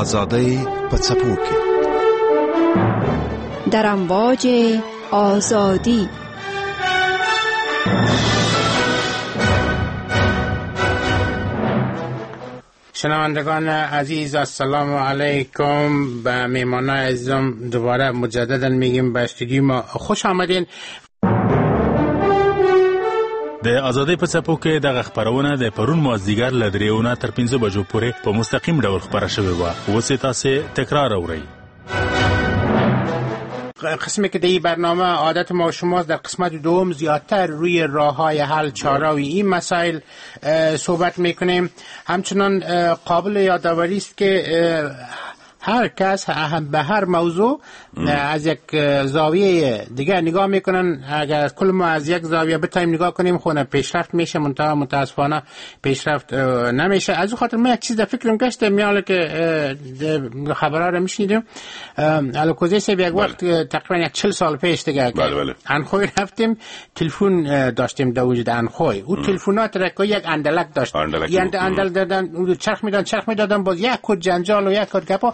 ازادۍ په څپو کې، در امواج آزادی. شنوندگان عزیز، السلام علیکم. به میهمانای عزیزم دوباره مجددا میگیم به استودیو ما خوش آمدین. د ازادۍ په څپو کې دغه خپرونه د پرون مازدیګر له 3 تر 5 بجو پورې په مستقیم ډول خپره شوې وه. اوس یې تاسې تکرار اورئ. قسمی که در این برنامه عادت ما و شماست، در قسمت دوم زیادتر روی راه‌های حل چاره‌ای این مسائل صحبت میکنیم. همچنان قابل یادآوری است که هر کس به هر موضوع از یک زاویه دیگه نگاه میکنن. اگر کل ما از یک زاویه بتایم نگاه کنیم خونه پیشرفت میشه، منتها متاسفانه پیشرفت نمیشه. از اون خاطر من یک چیز در فکرم گشته میاله که خبرها رو میشنیدیم. الکوزی صاحب یک وقت تقریبا یک 40 سال پیش دیگه انخوی رفتیم، تلفن داشتیم در وجود انخوی. او تلفنات را که یک اندلک داشت، اندل دادن، اون چرخ میدادن، چرخ میدادن، باز یک کد جنجال و یک کد گپا،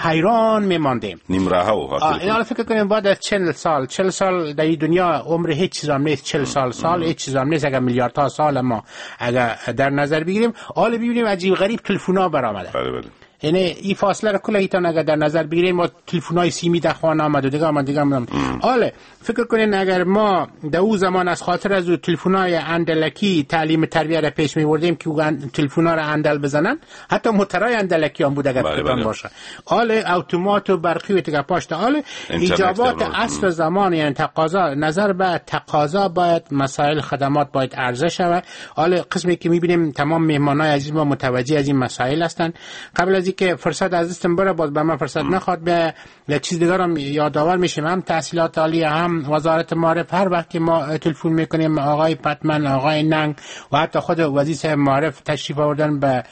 حیران میماندیم. نیم راه و این فکر کنیم بعد از 40 سال، 40 سال در این دنیا عمر هیچ چیز هم نیست. 40 سال هیچ چیز هم نیست. اگر میلیاردها سال ما اگر در نظر بگیریم، حالا ببینیم عجیب غریب تلفن‌ها برآمده. بله بله. یعنی این فاصله رو کلا ایتان اگر در نظر بگیریم، ما تلفن‌های سیمی در خانه آمد و دیگه آمد دیگه آمد. حالا فکر کنین اگر ما در او زمان از خاطر از او تلفن‌های اندلکی تعلیم تربیه را پیش می‌بردیم که تلفن‌ها را اندل بزنن، حتی موترهای اندلکی هم بود اگر فکرتان باشه. حالا اتومات و برقی و دیگه پاشت. حالا ایجابات اصل زمان، یعنی تقاضا، نظر به تقاضا باید مسائل خدمات باید عرضه شود. حالا قسمی که می‌بینیم تمام مهمانای عزیز ما متوجه از این مسائل هستند. قبل از که فرصت از دستم بره، باز به من فرصت نخواد، به یک چیز دیگر هم یادآور میشیم. هم تحصیلات عالی، هم وزارت معارف، هر وقت که ما تلفن میکنیم آقای پتمن، آقای ننگ و حتی خود وزیر معارف تشریف آوردن به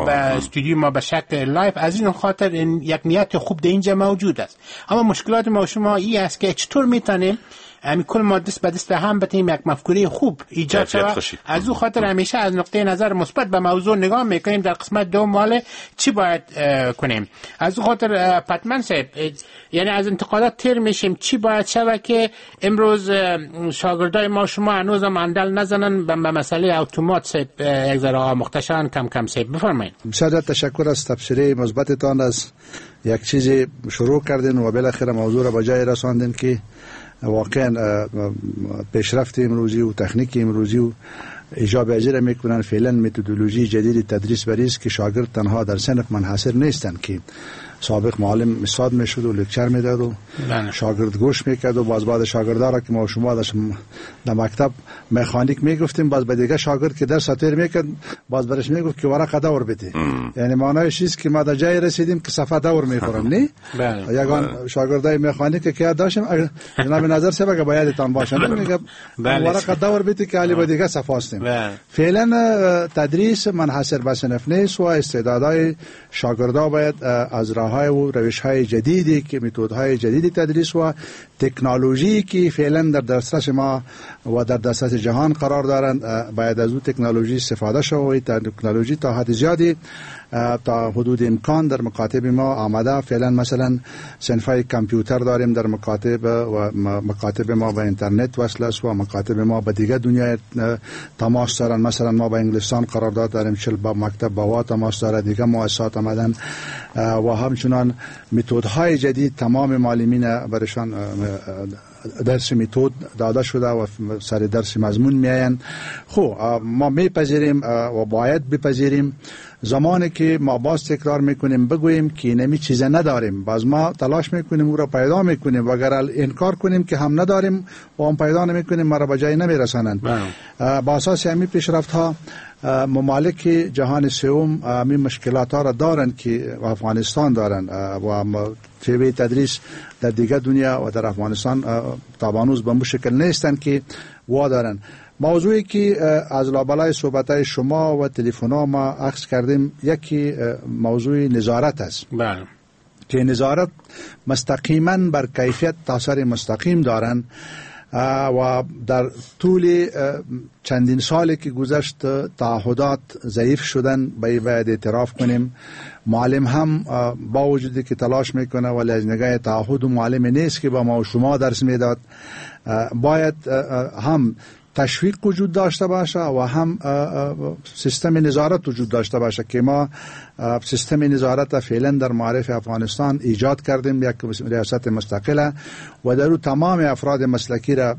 استودیو ما به شکل live. از این خاطر این یک نیت خوب در اینجا موجود است. اما مشکلات ما شما این است که چطور میتونیم همین کل ما دست به دست هم بتیم یک مفکوره خوب ایجاد شود. از او خاطر همیشه از نقطه نظر مثبت به موضوع نگاه میکنیم. در قسمت دوم مال چی باید کنیم؟ از او خاطر پتمن صاحب، یعنی از انتقادات تیر میشیم. چی باید شود که امروز شاگردای ما شما هنوز هم اندل نزنن به مسئله اتومات صاحب یک ذره آموخته شوند کم کم صاحب؟ بفرمایید. بسیار تشکر از تبصره مثبتتان. از یک چیزی شروع کردین و بالاخره موضوع را به جای رساندین که واقعا پیشرفت امروزی و تکنیک امروزی و ایجاب اجرا میکنن. فعلا متدولوژی جدید تدریس بریز که شاگرد تنها در صنف منحصر نیستند که سابق معلم استاد میشد و lecture میداد و شاگرد گوش میکرد و باز بعد شاگردا را که ما شما در مکتب مکانیک میگفتیم، باز به دیگه شاگرد که درس تیر میکرد باز برش میگفت که ورقه دور بده. یعنی معنایش چیست که ما در جای رسیدیم که صفحه دور میخورم. نه یگان شاگردای مکانیک که داشتیم جناب نظر صاحب که باید تان باشه میگه ورقه دور بده که علی به دیگه صفحه هستیم. فعلا تدریس منحصر به صنف نیست و استعدادهای شاگردا باید از راه‌های و روش‌های جدیدی که متدهای جدید تدریس و تکنولوژی که فعلا در دسترس ما و در دسترس جهان قرار دارند باید از او تکنولوژی استفاده شود. تکنولوژی تا حد زیادی تا حدود امکان در مکاتب ما آمده. فعلا مثلا صنف‌های کامپیوتر داریم در مکاتب و مکاتب ما به اینترنت وصل است و مکاتب ما به دیگر دنیای تماس دارند. مثلا ما با انگلستان قرارداد داریم، 40 با مکتب با تماس داره، دیگر مؤسسات آمدن و همچنان متدهای جدید تمام معلمین برشان درس متد داده شده و سر درس مضمون میآیند. خب ما میپذیریم و باید بپذیریم. زمانی که ما باز تکرار میکنیم بگوییم که اینمی چیز نداریم، باز ما تلاش میکنیم او را پیدا میکنیم و اگر انکار کنیم که هم نداریم و هم پیدا نمیکنیم ما را به جای نمیرسانند. با اساس همین پیشرفت ها ممالک جهان سوم همین مشکلات ها را دارند که افغانستان دارند و شیوه تدریس در دیگر دنیا و در افغانستان تا هنوز به مشکل نیستند که وا دارند. موضوعی که از لابلای صحبت‌های شما و تلفن‌ها ما اخذ کردیم یکی موضوع نظارت است. بله. که نظارت مستقیما بر کیفیت تاثیر مستقیم دارند. و در طول چندین سالی که گذشت تعهدات ضعیف شدن، باید اعتراف کنیم. معلم هم با وجودی که تلاش میکنه ولی از نگاه تعهد و معلم نیست که با ما و شما درس میداد. باید هم تشویق وجود داشته باشه و هم سیستم نظارت وجود داشته باشه که ما سیستم نظارت فعلا در معارف افغانستان ایجاد کردیم، یک ریاست مستقله و در او تمام افراد مسلکی را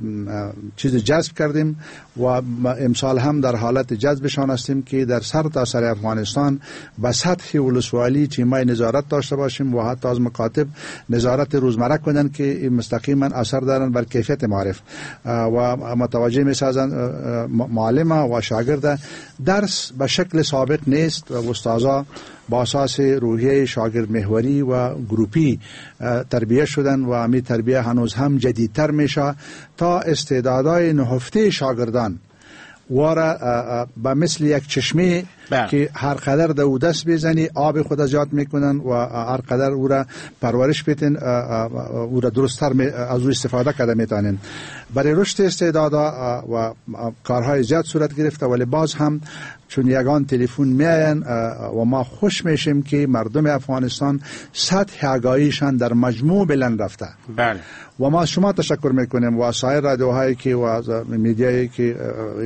چیز جذب کردیم و امسال هم در حالت جذبشان هستیم که در سر تا سر افغانستان به سطح ولسوالی تیمای نظارت داشته باشیم و حتی از مکاتب نظارت روزمره کنند که مستقیما اثر دارند بر کیفیت معارف و متوجه میسازن معلم و شاگرد. درس به شکل سابق نیست و استادا با اساس روحیه شاگرد محوری و گروپی تربیه شدن و همی تربیه هنوز هم جدیدتر میشه تا استعدادهای نهفته شاگردان واره به مثل یک چشمه که هر قدر در او دست بزنی آب خود زیاد میکنن و هر قدر او را پرورش بیتن او را درستتر از او استفاده کرده میتونن. برای رشد استعدادها و کارهای زیاد صورت گرفته، ولی باز هم چون یگان تلفن میاین و ما خوش میشیم که مردم افغانستان سطح آگاهیشان در مجموع بلند رفته. بله. و ما از شما تشکر میکنیم و سایر رادیوهایی که و میدیایی که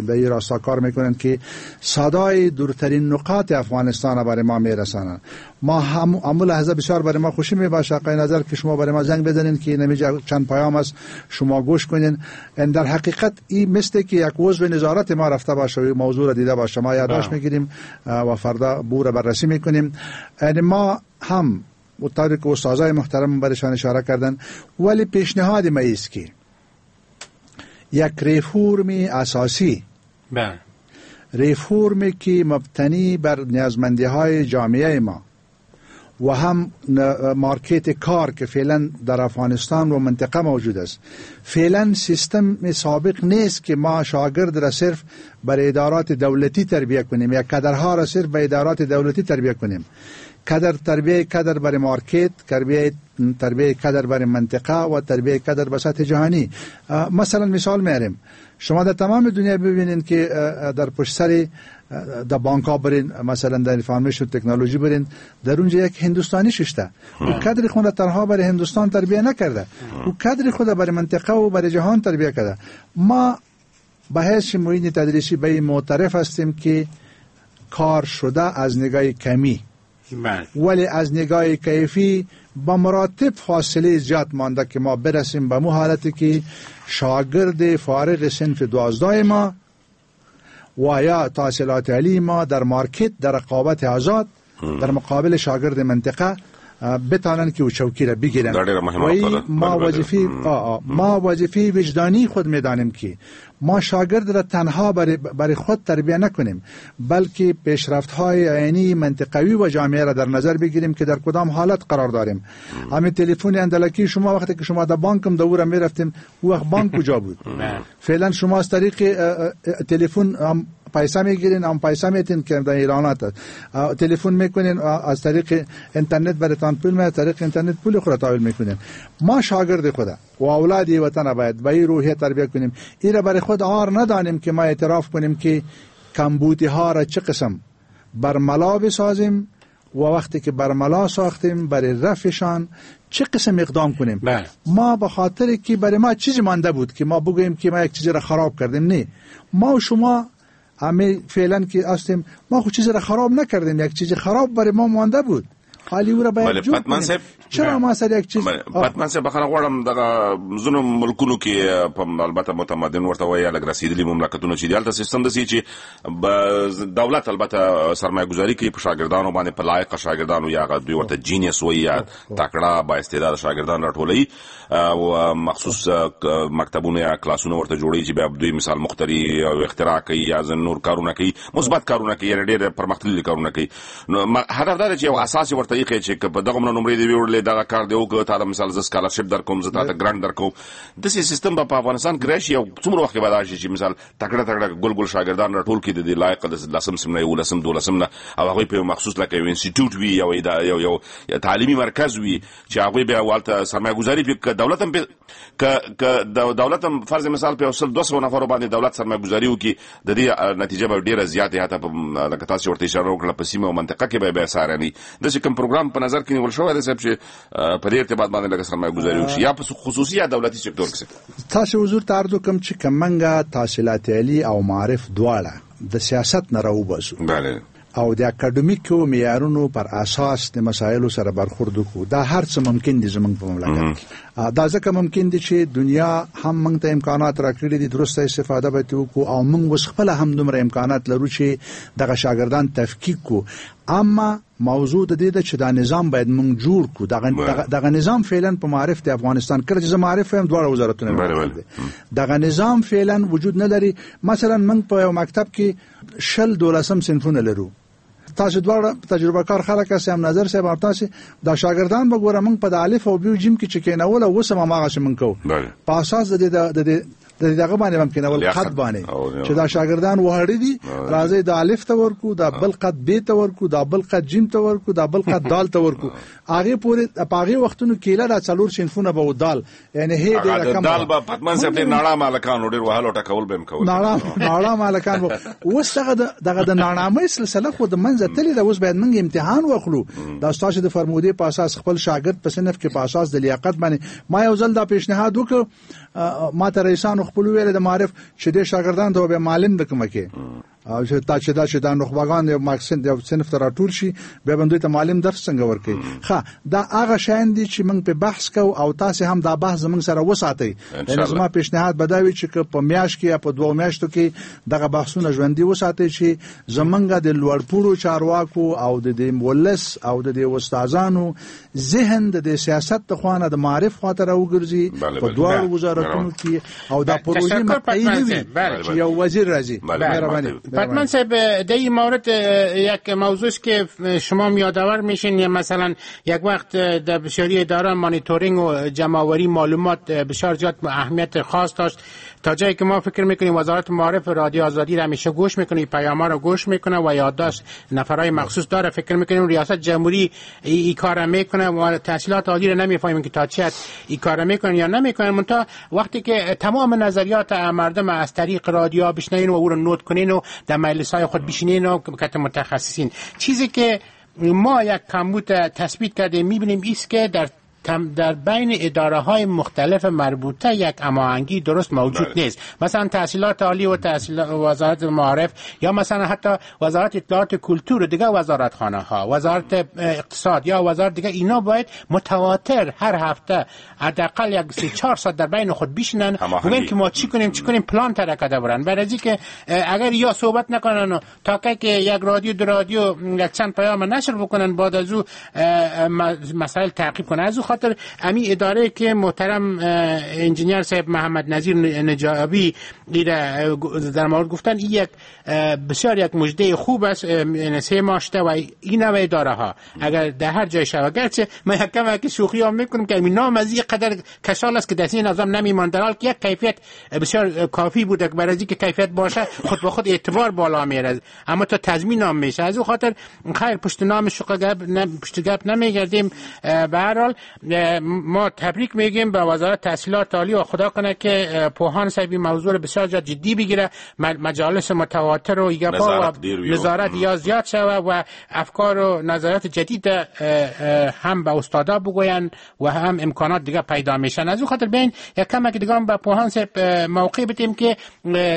به این راستا کار میکنند که صدای دورترین نقاط افغانستان برای ما میرسانند. ما هم امو لحظه بسیار برای ما خوشی میباشه آقای نظر که شما برای ما زنگ بزنین که نمیجا چند پیام است شما گوش کنین. در حقیقت این مثل که یک عضو نظارت ما رفته باشه و موضوع را دیده باشه، ما یادداشت میگیریم و فردا بور بررسی میکنیم. یعنی ما هم و طوری که استادای محترم برشان اشاره کردن، ولی پیشنهاد ما است که یک ریفورم اساسی، بله، ریفورمی که مبتنی بر نیازمندی های جامعه ما و هم market کار که فعلا در افغانستان و منطقه موجود است. فعلا سیستم سابق نیست که ما شاگرد را صرف بر ادارات دولتی تربیه کنیم یا کادرها را صرف به ادارات دولتی تربیه کنیم. کادر تربیه کادر برای market، تربیه کادر برای منطقه و تربیه کادر به سطح جهانی. مثلا مثال میاریم، شما در تمام دنیا ببینین که در پشت سر در بانک ها برین، مثلا در information technology برین، در اونجا یک هندوستانی ششته، او کادر خود تنها برای هندوستان تربیه نکرده، او کادر خود برای منطقه و برای جهان تربیه کرده. ما به حیث معین تدریسی به این معترف هستیم که کار شده از نگاه کمی، ولی از نگاه کیفی با مراتب فاصله زیاد مانده که ما برسیم به مو حالتی که شاگرد فارغ صنف 12 ما و یا تحصیلات عالی ما در مارکت در رقابت آزاد در مقابل شاگرد منطقه بتانن که او چوکی را بگیرن. ما وظیفه ما وظیفه وجدانی خود میدانیم که ما شاگرد را تنها برای خود تربیه نکنیم، بلکه پیشرفت های عینی منطقوی و جامعه را در نظر بگیریم که در کدام حالت قرار داریم. همین تلفن اندلکی شما وقتی که شما در بانکم دورم میرفتیم، او وقت بانک کجا بود؟ فعلا شما از طریق تلفن پیسه میگیرین، هم پیسه میتین که در ایرانات تلفن میکنین، از طریق اینترنت براتان پول میاد، طریق اینترنت پول خود تحویل میکنین. ما شاگرد خود و اولاد وطن باید به این روحیه تربیه کنیم. این را برای خود عار ندانیم که ما اعتراف کنیم که کمبودی ها را چه قسم برملا بسازیم و وقتی که برملا ساختیم برای رفعشان چه قسم اقدام کنیم. بله. ما به خاطر که برای ما چیزی مانده بود که ما بگوییم که ما یک چیزی را خراب کردیم، نه، ما و شما همه فعلا که هستیم ما خود چیزی را خراب نکردیم، یک چیزی خراب برای ما مانده بود، حالی او را باید جور کنیم. چرا ما سر یک چیز پتمن صاحب بخره غواړم دغه ځینو ملکونو کې البته متمدن ورته وایي لږ رسېدلي مملکتونو چې دي، هلته سیستم داسې چې دولت البته سرمایه ګذاري کوي په شاګردانو باندې، په لایقه شاګردانو یا هغه دوی ورته genius وایي یا تکړه با استعداد شاګردان راټولوي او مخصوص مکتبونه یا کلاسونه ورته جوړوي چې بیا دوی مثال مخترع او اختراع کوي یا ځینې نور کارونه کوي، مثبت کارونه کوي، یعنې ډېر پرمختللي کارونه کوي. نو هدف دا دی چې یو اساس ورته ایښی چې که په دغه نمرې دې ویوړلې دغه کار دې وکړ، تا ته مثال زه سکالرشپ درکوم، زه تا ته ګرانټ درکوم، داسې سیستم به په افغانستان کې راشي؟ او څومره وخت کې به راشي چې مثال تکړه تکړه ګل ګل شاګردان راټول کړي د دې لایق د لسم صنف نه، یولسم، دولسم نه، او هغوی په یو مخصوص لکه یو انسټیټیوټ وي، یو یو تعلیمي مرکز وي چې هغوی بیا هلته سرمایه ګذاري پرې، که دولت هم که دولت هم فرض مثال په یو سل 200 نفرو باندې دولت سرمایه ګذاري وکړي، د دې نتیجه به ډېره زیاته، حتی لکه تاسو ورته اشاره وکړه په سیمه او منطقه کې به بیا سارني. داسې کوم پروګرام په نظر کې نیول شوی دی صاحب چې په دې ارتباط باندې لږه سرمایه ګذاري وشي، یا په خصوصي یا دولتي سکتور کې؟ تاسو حضور ته عرض وکړم چې که موږ تحصیلات عالي او معارف دواړه د سیاست نه راوباسو او د اکاډمیکو معیارونو پر اساس د مسایلو سره برخورد وکړو، دا هر څه ممکن دي زمونږ په مملکت کې. دا ځکه ممکن دي چې دنیا هم موږ ته امکانات راکړي دي، درسته استفاده به ترې وکړو، او موږ اوس خپله هم دومره امکانات لرو چې دغه شاګردان تفکیک کړو. اما موضوع د دې ده چې دا نظام باید موږ جوړ کړو. دغه نظام فعلا په معارف د افغانستان، کله چې زه معارف یم دواړه وزارتونه دغه نظام فعلا وجود نه لري. مثلا موږ په یو مکتب کې 20 دولسم صنفونه لرو. تاسو دواړه تجربه کار خلک یاست، هم نظر صاحب هم تاسو. دا شاګردان به ګوره موږ په د الف او بی او جیم کې چې کېنول اوس هم هماغسې موږ کوو، په اساس د دې د دغه باندې ممکن اول قد باندې چې دا شاګردان وهړي دي، راځي د الف ته ورکو، دا بل قد بی ته ورکو، دا بل قد جیم ته ورکو، دا بل قد دال ته ورکو. هغه پورې په هغه وختونو کې لا 4 صنفونه به دال، یعنی هی ډیر کم دال به پتمن صاحب ډیر ناړه مالکانو ډیر وهلو ټکول به کوول، ناړه مالکان اوس دغه د ناړامۍ سلسله خو د منځه تللې ده. اوس باید موږ امتحان واخلو. دا ستاسو د فرمودې په اساس خپل شاګرد په صنف کې په اساس د لیاقت باندې. ما یو ځل دا پیشنهاد وکړ، ما ته رئیسانو خپل ویل د معارف چې د شاګردان ته به معلم د کومه کې او چې تا چې دا چې دا نخبګان یو ماکسین د صنف ته راټول شي، بیا به دوی ته معلم درس څنګه ورکړي. ښه، دا هغه شیان دي چې موږ په بحث کوو او تاسو هم دا بحث زموږ سره وساتئ. یعنی زما پیشنهاد به دا وي چې که په میاشت کې یا په 2 میاشتو کې دغه بحثونه ژوندي وساتئ چې زمونږ د لوړپوړو چارواکو او د دې ولس او د دې استادانو ذهن د دې سیاست د خوا نه د معارف خواته راوګرځي په دواړو وزارتونو کې، او دا پروژې مقطعي نه وي چې یو وزیر راځي. مهرباني. پتمن صاحب، در این مورد یک موضوع است که شما یادآور میشین. مثلا یک وقت در بسیاری اداره مانیتورینگ و جمع‌آوری معلومات بسیار زیاد اهمیت خاص داشت، تا جایی که ما فکر میکنیم وزارت معارف رادیو آزادی را همیشه گوش میکنه، پیام‌ها رو گوش میکنه و یادداشت نفرای مخصوص داره. فکر میکنیم ریاست جمهوری این کار میکنه و تحصیلات عالی رو نمیفهمیم که تا چه این کار میکنن یا نمیکنن. منتها وقتی که تمام نظریات مردم از طریق رادیو بشنوین و او رو نوت کنین و در مجلس‌های خود بشینین و کت متخصصین، چیزی که ما یک کمبود تثبیت کردیم میبینیم ایست که در بین اداره های مختلف مربوطه یک هماهنگی درست موجود نیست. مثلا تحصیلات عالی و وزارت معارف، یا مثلا حتی وزارت اطلاعات کلتور و دیگه وزارت خانه ها، وزارت اقتصاد یا وزارت دیگه، اینا باید متواتر هر هفته حداقل یک 3-4 ساعت در بین خود بشینن ببینن که ما چی کنیم چی کنیم، پلان ترک کرده برن. برای اینکه اگر یا صحبت نکنن تا که یک رادیو دو رادیو یک چند پیام نشر بکنن، بعد از او مسائل تعقیب کنن. از او خاطر امی اداره که محترم انجینیر صاحب محمد نظیر نجابی در مورد گفتن، این یک بسیار یک مژده خوب است. 3 ماه شده و این نوع اداره ها اگر در هر جای شود، گرچه من یک کم که شوخی هم میکنم که این نام از این قدر کشال است که دستی نظام نمیمان، در حال که یک کیفیت بسیار کافی بوده که برای اینکه کیفیت باشه خود به خود اعتبار بالا میره، اما تا تضمین هم میشه. از او خاطر خیر پشت نام شوخی پشت گپ نمیگردیم. به هر حال ما تبریک میگیم به وزارت تحصیلات عالی و خدا کنه که پوهان صاحب این موضوع رو بسیار جدی بگیره، مجالس متواتر و گپا و نظارت یا زیاد شوه و افکار و نظریات جدید هم به استادا بگوین و هم امکانات دیگه پیدا میشن. از اون خاطر بین یک کمک دیگه هم به پوهان صاحب موقع بدیم که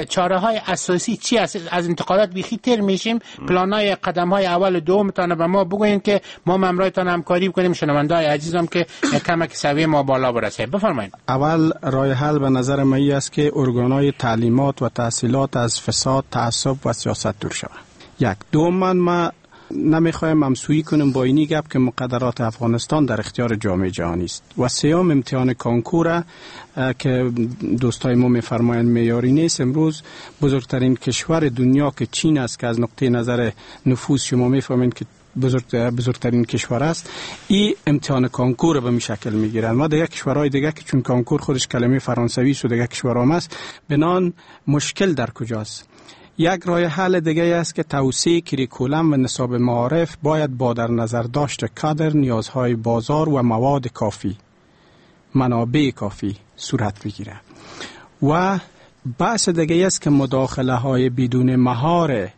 چاره های اساسی چی است. از انتقادات بیخی تر میشیم، پلان های قدم های اول و دوم تانه به ما بگوین که ما ممرایتان همکاری بکنیم. شنوندای عزیزم که کمک سویه ما بالا برسه، بفرمایید. اول راه حل به نظر من است که ارگان‌های تعلیمات و تحصیلات از فساد، تعصب و سیاست دور شوند. یک. دوم، ما نمیخوایم همسویی کنیم با اینی گپ که مقدرات افغانستان در اختیار جامعه جهانی است. و سوم، امتحان کانکور که دوستای ما میفرمایند معیاری نیست. امروز بزرگترین کشور دنیا که چین است که از نقطه نظر نفوذ شما میفهمید که بزرگترین کشور است، این امتحان کانکور به می شکل میگیرن. ما دیگه کشورهای دیگه که چون کانکور خودش کلمه فرانسوی است و دیگه کشورها است، بنان مشکل در کجاست؟ یک راه حل دیگه است که توسعه کریکولم و نصاب معارف باید با در نظر داشت کادر، نیازهای بازار و مواد کافی، منابع کافی صورت بگیره. و بحث دیگه است که مداخله های بدون مهار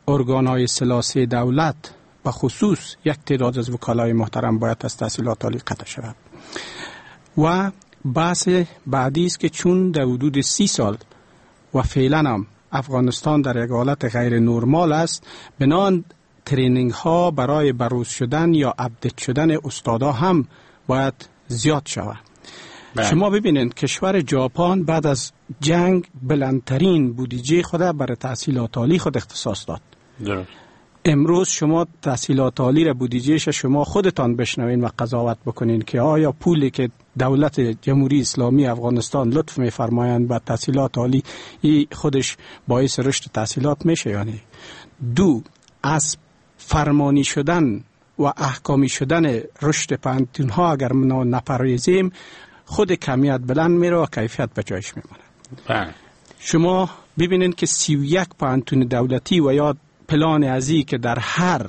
ارگان های سلاسی دولت، به خصوص یک تعداد از وکلای محترم، باید از تحصیلات عالی قطع شود. و بحث بعدی است که چون در حدود 30 سال و فعلا هم افغانستان در یک حالت غیر نرمال است، بنان training ها برای بروز شدن یا update شدن استادا هم باید زیاد شود. شما ببینید کشور ژاپن بعد از جنگ بلندترین بودجه خود برای تحصیلات عالی خود اختصاص داد. درست. امروز شما تحصیلات عالی را بودجهش شما خودتان بشنوین و قضاوت بکنین که آیا پولی که دولت جمهوری اسلامی افغانستان لطف می‌فرمایند به تحصیلات عالی، ای خودش باعث رشد تحصیلات میشه یا نه. دو، از فرمانی شدن و احکامی شدن رشد پوهنتون ها اگر ما نپرهیزیم، خود کمیت بلند میره و کیفیت به جایش میمونه. بله. شما ببینید که 31 پوهنتون دولتی و یا پلان ازی که در هر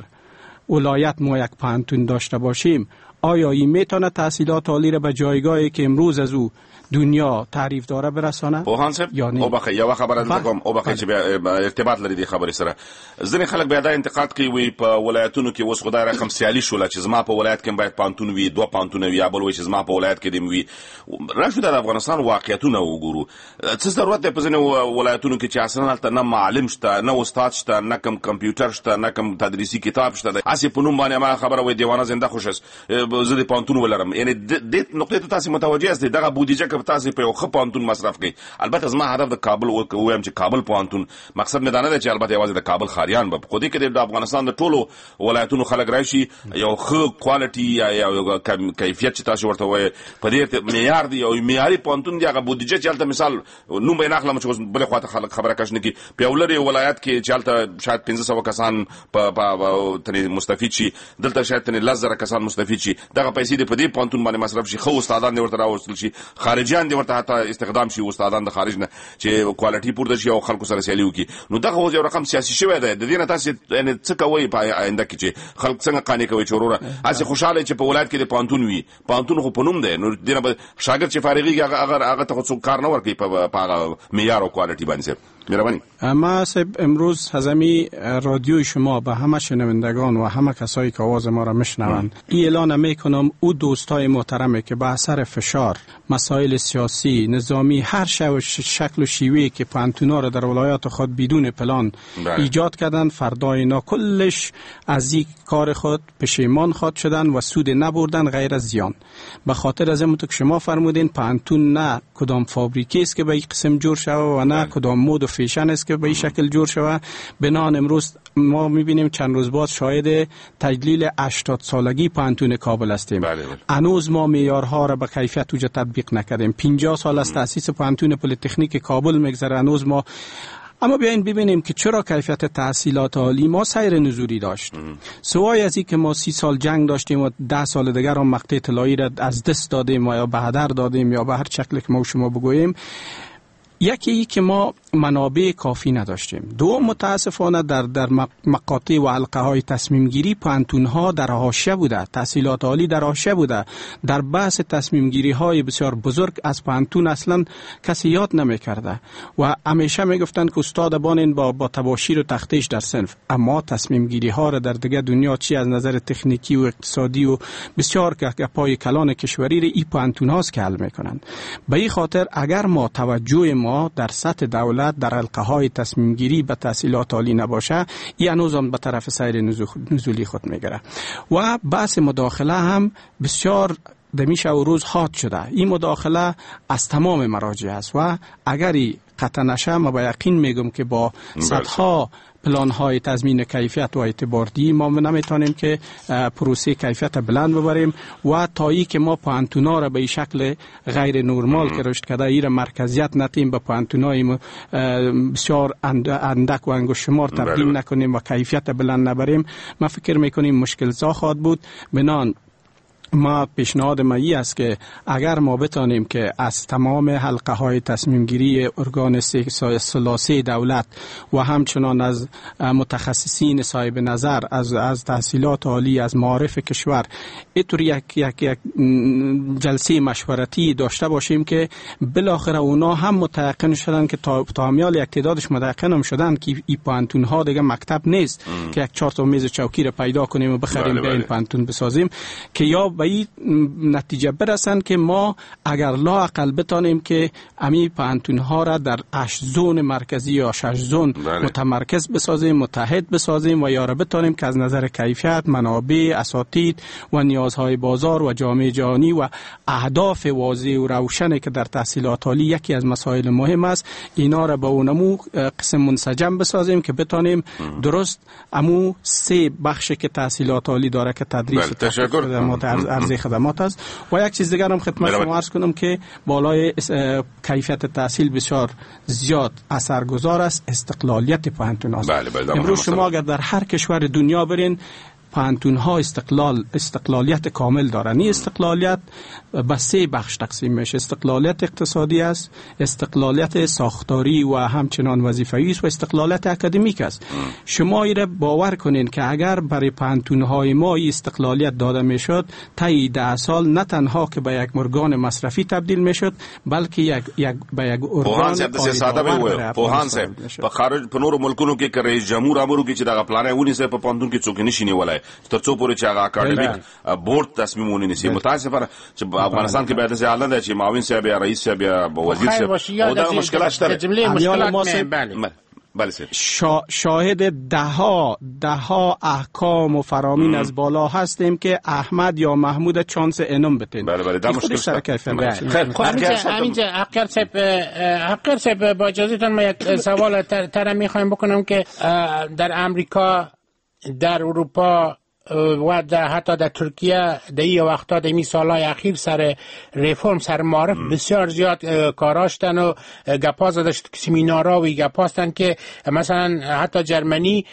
ولایت ما یک پوهنتون داشته باشیم، آیا این میتونه تحصیلات عالی را به جایگاهی که امروز از او دنیا تعریف داره برسانه؟ پوهان صاحب، وبخښئ، یو خبره دلته کوم، وبخښئ چې بیا ارتباط لري دې خبرې سره. ځینې خلک بیا دا انتقاد کوي، وایي په ولایتونو کې اوس خو دا رقم سیالي شوله چې زما په ولایت کې باید پوهنتون وي، 2 پوهنتونه وي، یا بل وایي چې زما په ولایت کې دې وي. راشو د افغانستان واقعیتونه وګورو. څه ضرورت دی په ځینو ولایتونو کې چې اصلا هلته نه معلم شته، نه استاد شته، نه کوم کمپیوټر شته، نه کوم تدریسي کتاب شته، هسې په نوم باندې ما خبره وایي دیوانه زنده خوش است، زه دې پوهنتون ولرم. یعنې دې نقطې ته تاسې متوجه یاست؟ دغه بودیجه که تاسې په یو ښه پوهنتون مصرف کړئ، البته زما هدف د کابل ووایم چې کابل پوهنتون مقصد مې دا نه دی چې البته یوازې د کابل ښاریان به، خو دې کې د افغانستان د ټولو ولایتونو خلک راشي، یو ښه quality یا یو کیفیت چې تاسو ورته وایئ په دې معیار دی، یو معیاري پوهنتون دی. هغه بودیجه چې هلته مثال نوم به یې نه اخلم چې اوس بلې خواته خلک خبره کش نه کړي، په یو لرې ولایت کې چې هلته شاید 500 کسان په ترې مستفید شي، دلته شاید ترې 10,000 کسان مستفید شي، دغه پیسې دې په دې پوهنتون باندې مصرف شي، ښه استادان دې ورته راوستل شي، خارجیان دې ورته حتی استخدام شي، استادان د خارج نه چې quality پورته شي او خلکو سره سیالي وکړي. نو دغه اوس یو رقم سیاسي شوی دی. د دې نه تاسې یعنې څه کوئ په آینده کې چې خلک څنګه قانع کوئ چې وروره هسې خوشحاله چې په ولایت کې د پوهنتون وي، پوهنتون خو په نوم دی، نو دې نه به شاګرد چې فارغېږي هغه ته خو څوک کار نه ورکوي په هغه معیار او quality باندې. صاحب مهرباني. ما صاحب امروز از همی رادیوی شما به همه شنوندگان و همه کسایی که آواز ما را میشنوند ای اعلان میکنم، او دوستای محترمه که به اثر فشار مسائل سیاسی، نظامی، هر شکل و شیوهی که پوهنتونا را در ولایات خود بدون پلان ایجاد کردن، فردا اینا کلش از این کار خود پشیمان خواد شدن و سود نبردن غیر از زیان. به خاطر از این که شما فرمودین پوهنتون نه کدام فابریکه است که به این قسم جور شوه و نه کدام مد و فیشن است که به این شکل جور شوه. بنان امروز ما میبینیم چند روز بعد شاهد تجلیل 80 سالگی پوهنتون کابل هستیم. هنوز ما معیارها را به کیفیت اوجه تطبیق نکردیم. 50 سال از تأسیس پوهنتون پلی‌تکنیک کابل میگذره، هنوز ما. اما بیاین ببینیم که چرا کیفیت تحصیلات عالی ما سیر نزولی داشت. سوای از این که ما 30 سال جنگ داشتیم و 10 سال دیگر هم مقطع طلایی را از دست دادیم و یا به هدر دادیم یا به هر شکلی که ما شما بگوییم، یکی ای که ما منابع کافی نداشتیم. دوم، متاسفانه در مقاطع و حلقه های تصمیم گیری پوهنتون ها در حاشیه بوده، تحصیلات عالی در حاشیه بوده. در بحث تصمیم گیری های بسیار بزرگ از پوهنتون اصلا کسی یاد نمی کرده و همیشه می گفتند که استاد بانین با تباشیر و تختیش در صنف. اما تصمیم گیری ها را در دیگه دنیا چی از نظر تکنیکی و اقتصادی و بسیار گپای کلان کشوری را ای پوهنتون هاست که حل میکنند. به این خاطر اگر ما توجه ما در سطح دولت در حلقه های تصمیم گیری به تحصیلات عالی نباشه، این هنوز هم به طرف سیر نزولی خود میگیره. و بحث مداخله هم بسیار دمیشه و روز حاد شده. این مداخله از تمام مراجع است و اگر قطع نشه، ما با یقین میگم که با صدها پلان های تضمین کیفیت و اعتباردهی ما نمیتونیم که پروسه کیفیت بلند ببریم و تایی که ما پوهنتونا را به شکل غیر نرمال که رشد کرده ایره مرکزیت نتیم، به پوهنتونای بسیار اندک و انگشت شمار تبدیل نکنیم و کیفیت بلند نبریم، ما فکر میکنیم مشکل زا خواهد بود. بنان ما پیشنهاد ما ای است که اگر ما بتانیم که از تمام حلقه های تصمیم گیری ارگان ثلاثه دولت و همچنان از متخصصین صاحب نظر، از تحصیلات عالی، از معارف کشور اینطور یک یک یک جلسه مشورتی داشته باشیم که بالاخره اونا هم متیقن شدن که تا همیال یک تعدادش متیقن هم شدن که این پوهنتون ها دیگه مکتب نیست که یک 4 تا میز چوکی را پیدا کنیم و بخریم به این پوهنتون بسازیم، که یا به این نتیجه برسن که ما اگر لااقل بتانیم که امی پوهنتون ها را در 8 zone مرکزی یا 6 zone متمرکز بسازیم، متحد بسازیم و یا را بتانیم که از نظر کیفیت، منابع، اساتید و نیازهای بازار و جامعه جهانی و اهداف واضح و روشنی که در تحصیلات عالی یکی از مسائل مهم است، اینا را به اونمو قسم منسجم بسازیم که بتانیم درست امو 3 بخش که تحصیلات عالی داره که تدریس و خدمات، عرضه خدمات است. و یک چیز دیگر هم خدمت شما عرض کنم که بالای کیفیت تحصیل بسیار زیاد اثرگذار است استقلالیت پوهنتون است. امروز شما اگر در هر کشور دنیا برین، پوهنتون ها استقلالیت کامل دارن. این استقلالیت به 3 بخش تقسیم میشه: استقلالیت اقتصادی است، استقلالیت ساختاری و همچنان وظیفه‌ای است و استقلالیت اکادمیک است. شما ایره باور کنین که اگر برای پوهنتون های ما استقلالیت داده میشد، طی 10 سال نه تنها که به یک ارگان مصرفی تبدیل میشد، بلکه یک یک به یک ارگان پوهان صاحب په خارج په نورو ملکونو کې که رئیس جمهور امر وکړي چې دغه پلان یې ونیسي، په پوهنتون کې څوک نشي نیولای تر څو پورې چې هغه اکاډمیک بورډ تصمیم ونه نیسي. متاسفانه چې په افغانستان کې بیا داسې حالت ده چې معاون صاحب یا رئیس صاحب یا وزیر صاحب او دا مشکلات شته. بله شاهد ده ها احکام و فرامین از بالا هستیم که احمد یا محمود چانس انم بتین. بله بله، دا مشکل سر کیفیت. همینجا حقیار صاحب، با اجازهتون ما یک سوال تر میخوایم بکنم که در امریکا، در اروپا و در حتی در ترکیه در این وقتا، در این سالهای اخیر، سر ریفرم، سر معارف بسیار زیاد کاراشتن و گپا زده شد، سمینارا و گپاستن که مثلا حتی جرمنی